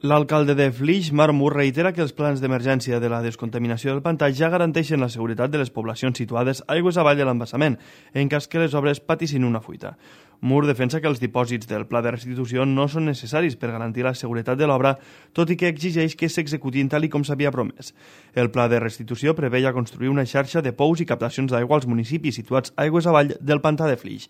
L'alcalde de Flix, Marc Mur, reitera que els plans d'emergència de la descontaminació del pantà ja garanteixen la seguretat de les poblacions situades aigües avall de l'embassament, en cas que les obres patissin una fuita. Mur defensa que els dipòsits del pla de restitució no són necessaris per garantir la seguretat de l'obra, tot i que exigeix que s'executin tal i com s'havia promès. El pla de restitució preveia construir una xarxa de pous i captacions d'aigua als municipis situats aigües avall del pantà de Flix.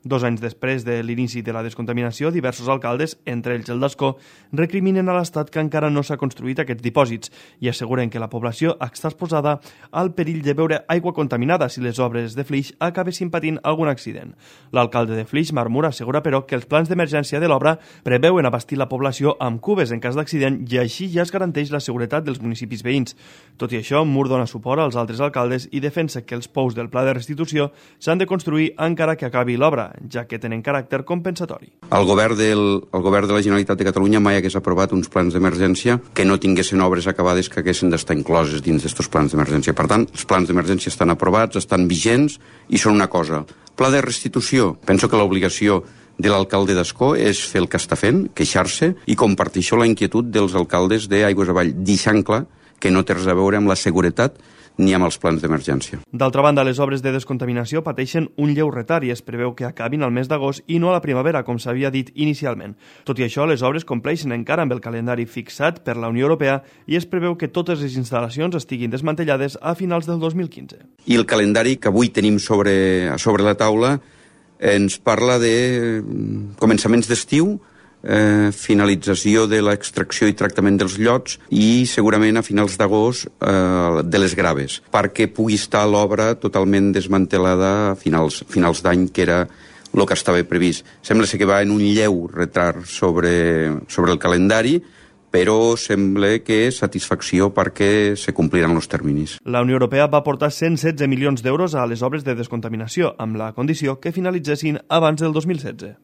2 anys després de l'inici de la descontaminació, diversos alcaldes, entre ells el d'Ascó, recriminen a l'Estat que encara no s'ha construït aquests dipòsits i asseguren que la població està exposada al perill de beure aigua contaminada si les obres de Flix acabessin patint algun accident. L'alcalde de Flix, Marc Mur, assegura però que els plans d'emergència de l'obra preveuen abastir la població amb cubes en cas d'accident i així ja es garanteix la seguretat dels municipis veïns. Tot i això, Mur dona suport als altres alcaldes i defensa que els pous del pla de restitució s'han de construir encara que acabi l'obra, ja que tenen caràcter compensatori. El govern de la Generalitat de Catalunya mai hagués aprovat uns plans d'emergència que no tinguessin obres acabades que haguessin d'estar incloses dins d'aquests plans d'emergència. Per tant, els plans d'emergència estan aprovats, estan vigents i són una cosa. Pla de restitució, penso que l'obligació de l'alcalde d'Ascó és fer el que està fent, queixar-se i compartir això la inquietud dels alcaldes d'Aigües Avall, deixant clar que no té res a veure amb la seguretat ni amb els plans d'emergència. D'altra banda, les obres de descontaminació pateixen un lleu retard i es preveu que acabin al mes d'agost i no a la primavera, com s'havia dit inicialment. Tot i això, les obres compleixen encara amb el calendari fixat per la Unió Europea i es preveu que totes les instal·lacions estiguin desmantellades a finals del 2015. I el calendari que avui tenim sobre la taula ens parla de començaments d'estiu, finalització de l'extracció i tractament dels llots i segurament a finals d'agost de les graves, perquè pugui estar l'obra totalment desmantelada a finals d'any, que era el que estava previst. Sembla que va en un lleu retard sobre el calendari, però sembla que és satisfacció perquè se compliran els terminis. La Unió Europea va aportar 116 milions d'euros a les obres de descontaminació, amb la condició que finalitzessin abans del 2016.